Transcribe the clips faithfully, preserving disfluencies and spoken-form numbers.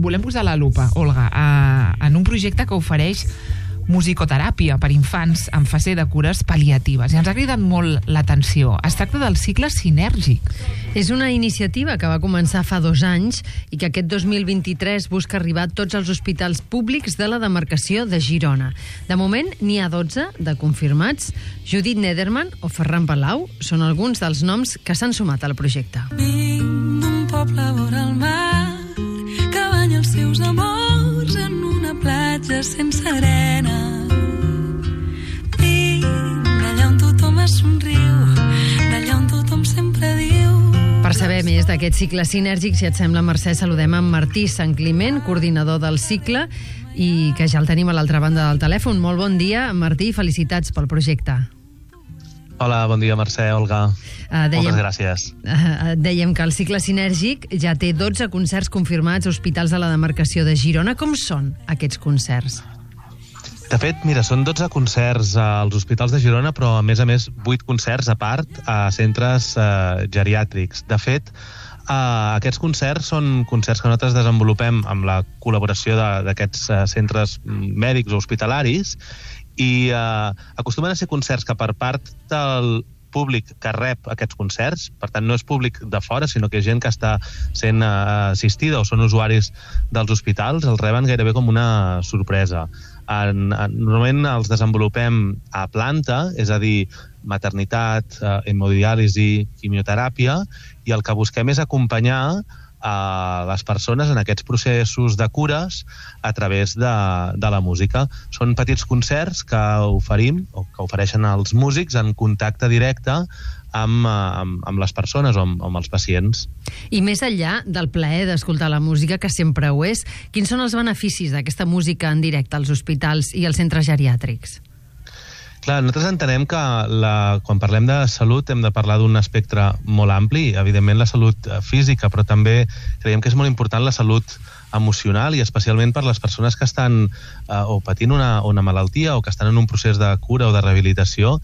volem posar la lupa, Olga, a, en un projecte que ofereix musicoteràpia per infants en fase de cures pal·liatives. I ens ha cridat molt l'atenció. Es tracta del cicle sinèrgic. És una iniciativa que va començar fa dos anys i que aquest dos mil vint-i-tres busca arribar a tots els hospitals públics de la demarcació de Girona. De moment, n'hi ha dotze de confirmats. Judit Nederman o Ferran Palau són alguns dels noms que s'han sumat al projecte. Vinc d'un poble vora el mar que banya els seus amors en una platja sense arena. Vinc d'allà on tothom es somriu, d'allà on tothom sempre diu. Per saber més d'aquest cicle sinèrgic, si et sembla, Mercè, saludem en Martí Sant Climent, coordinador del cicle, i que ja el tenim a l'altra banda del telèfon. Molt bon dia, Martí, felicitats pel projecte. Hola, bon dia, Mercè, Olga. Uh, dèiem, Moltes gràcies. Uh, dèiem que el cicle sinèrgic ja té dotze concerts confirmats a hospitals de la demarcació de Girona. Com són aquests concerts? De fet, mira, són dotze concerts als hospitals de Girona, però a més a més vuit concerts a part a centres uh, geriàtrics. De fet, uh, aquests concerts són concerts que nosaltres desenvolupem amb la col·laboració d'aquests uh, centres mèdics o hospitalaris i uh, acostumen a ser concerts que per part del públic que rep aquests concerts, per tant no és públic de fora, sinó que és gent que està sent uh, assistida o són usuaris dels hospitals, els reben gairebé com una sorpresa. En, en, normalment els desenvolupem a planta, és a dir, maternitat, eh, hemodiàlisi, quimioteràpia, i el que busquem és acompanyar a les persones en aquests processos de cures a través de, de la música. Són petits concerts que oferim, o que ofereixen els músics en contacte directe amb, amb, amb les persones o amb, amb els pacients. I més enllà del plaer d'escoltar la música, que sempre ho és, quins són els beneficis d'aquesta música en directe als hospitals i als centres geriàtrics? Clar, nosaltres entenem que la, quan parlem de salut hem de parlar d'un espectre molt ampli, evidentment la salut física, però també creiem que és molt important la salut emocional i especialment per les persones que estan eh, o patint una, una malaltia o que estan en un procés de cura o de rehabilitació,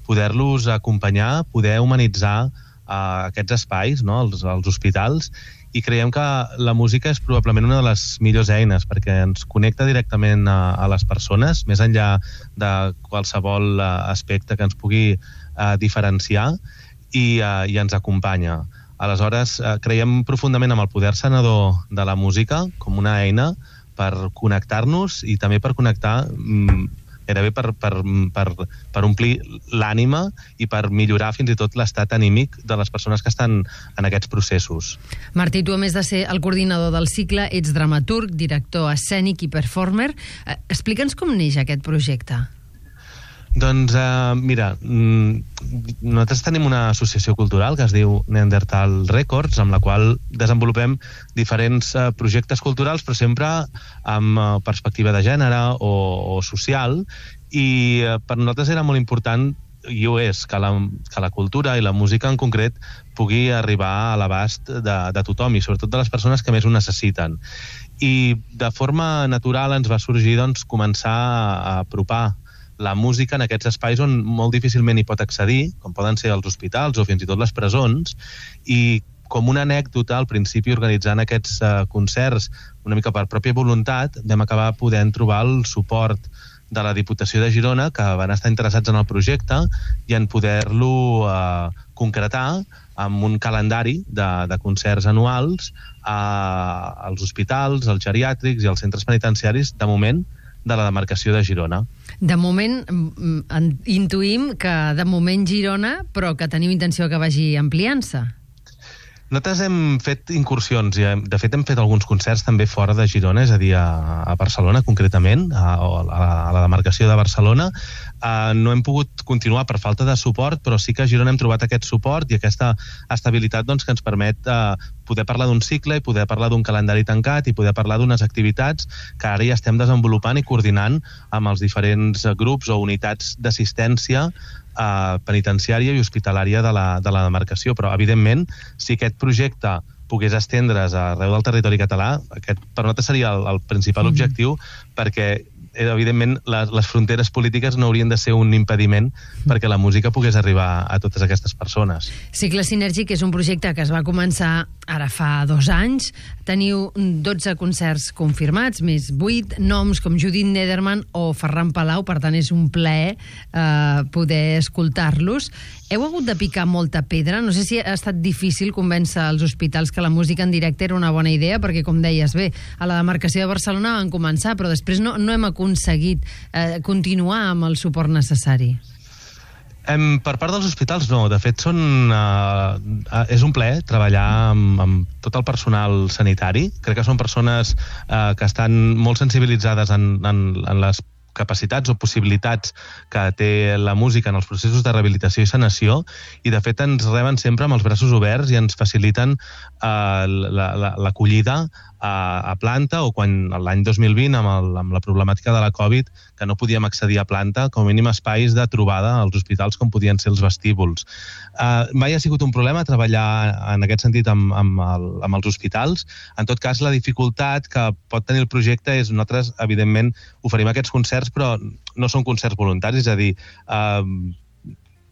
poder-los acompanyar, poder humanitzar eh, aquests espais, no?, els, els hospitals, i creiem que la música és probablement una de les millors eines perquè ens connecta directament a, a les persones, més enllà de qualsevol uh, aspecte que ens pugui uh, diferenciar i, uh, i ens acompanya. Aleshores, uh, creiem profundament amb el poder sanador de la música com una eina per connectar-nos i també per connectar mm, gairebé per, per, per, per omplir l'ànima i per millorar fins i tot l'estat anímic de les persones que estan en aquests processos. Martí, tu a més de ser el coordinador del cicle, ets dramaturg, director escènic i performer. Eh, explica'ns com neix aquest projecte. Doncs, eh, mira, nosaltres tenim una associació cultural que es diu Neandertal Records, amb la qual desenvolupem diferents eh, projectes culturals, però sempre amb eh, perspectiva de gènere o, o social, i eh, per nosaltres era molt important, i ho és, que la, que la cultura i la música en concret pugui arribar a l'abast de, de tothom, i sobretot de les persones que més ho necessiten. I de forma natural ens va sorgir doncs, començar a apropar la música en aquests espais on molt difícilment hi pot accedir, com poden ser els hospitals o fins i tot les presons, i com una anècdota, al principi organitzant aquests uh, concerts una mica per pròpia voluntat, vam acabar podent trobar el suport de la Diputació de Girona, que van estar interessats en el projecte i en poder-lo uh, concretar amb un calendari de, de concerts anuals uh, als hospitals, als geriàtrics i als centres penitenciaris, de moment, de la demarcació de Girona. De moment, intuïm que de moment Girona, però que tenim intenció que vagi ampliant-se. Nosaltres hem fet incursions, i de fet hem fet alguns concerts també fora de Girona, és a dir, a, a Barcelona concretament, a, a, a la demarcació de Barcelona. Uh, no hem pogut continuar per falta de suport, però sí que a Girona hem trobat aquest suport i aquesta estabilitat doncs, que ens permet uh, poder parlar d'un cicle i poder parlar d'un calendari tancat i poder parlar d'unes activitats que ara ja estem desenvolupant i coordinant amb els diferents grups o unitats d'assistència uh, penitenciària i hospitalària de la, de la demarcació. Però, evidentment, si aquest projecte pogués estendre's arreu del territori català, aquest per nosaltres seria el, el principal mm-hmm. objectiu, perquè evidentment, les, les fronteres polítiques no haurien de ser un impediment perquè la música pogués arribar a totes aquestes persones. Cicle Sinèrgic és un projecte que es va començar ara fa dos anys. Teniu dotze concerts confirmats, més vuit noms com Judit Nederman o Ferran Palau, per tant és un plaer eh, poder escoltar-los. Heu hagut de picar molta pedra? No sé si ha estat difícil convèncer els hospitals que la música en directe era una bona idea, perquè, com deies, bé, a la demarcació de Barcelona van començar, però després no, no hem aconseguit eh, continuar amb el suport necessari. Em, per part dels hospitals, no. De fet, són, uh, és un plaer treballar amb, amb tot el personal sanitari. Crec que són persones uh, que estan molt sensibilitzades en, en, en les capacitats o possibilitats que té la música en els processos de rehabilitació i sanació, i de fet ens reben sempre amb els braços oberts i ens faciliten uh, l'acollida a, a planta, o quan l'any dos mil vint, amb, el, amb la problemàtica de la Covid, que no podíem accedir a planta, com a mínim espais de trobada als hospitals com podien ser els vestíbuls. Uh, mai ha sigut un problema treballar en aquest sentit amb, amb, el, amb els hospitals. En tot cas, la dificultat que pot tenir el projecte és, nosaltres, evidentment, oferim aquests concerts, però no són concerts voluntaris, és a dir, uh,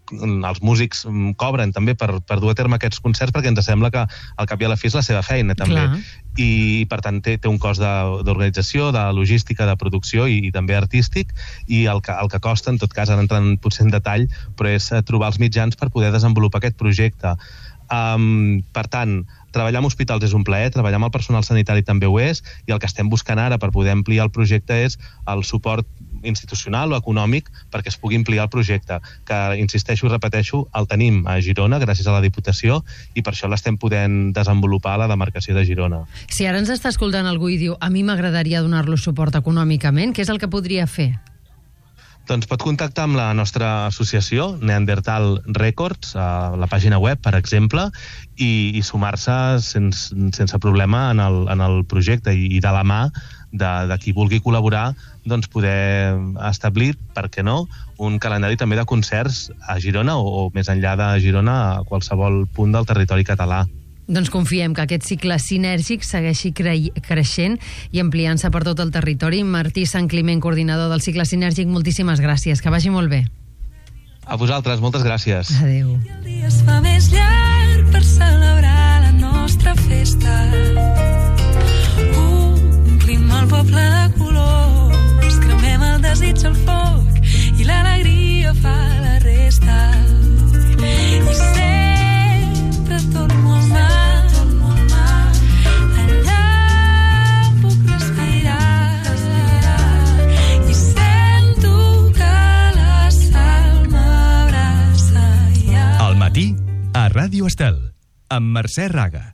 els músics cobren també per, per dur a terme aquests concerts, perquè ens sembla que al cap i a la fi és la seva feina també. Clar. I per tant té, té un cost d'organització, de, de logística, de producció i, i també artístic, i el que, el que costa, en tot cas, ara entrant potser en detall, però és trobar els mitjans per poder desenvolupar aquest projecte. Um, per tant, treballar amb hospitals és un plaer, treballar amb el personal sanitari també ho és, i el que estem buscant ara per poder ampliar el projecte és el suport institucional o econòmic perquè es pugui ampliar el projecte, que, insisteixo i repeteixo, el tenim a Girona gràcies a la Diputació, i per això l'estem podent desenvolupar a la demarcació de Girona. Si ara ens està escoltant algú i diu a mi m'agradaria donar-lo suport econòmicament, què és el que podria fer? Doncs pot contactar amb la nostra associació, Neandertal Records, a la pàgina web, per exemple, i, i sumar-se sense, sense problema en el, en el projecte, i, i de la mà de, de qui vulgui col·laborar, doncs poder establir, per què no, un calendari també de concerts a Girona o, o més enllà de Girona, a qualsevol punt del territori català. Doncs confiem que aquest cicle sinèrgic segueixi cre- creixent i ampliant-se per tot el territori. Martí Sant Climent, coordinador del cicle sinèrgic, moltíssimes gràcies. Que vagi molt bé. A vosaltres, moltes gràcies. Adéu. I el dia es fa més llarg per celebrar la nostra festa. Omplim el poble de colors, cremem el desig al foc i l'alegria fa la resta. I sempre torno al mar. A Ràdio Estel, amb Mercè Raga.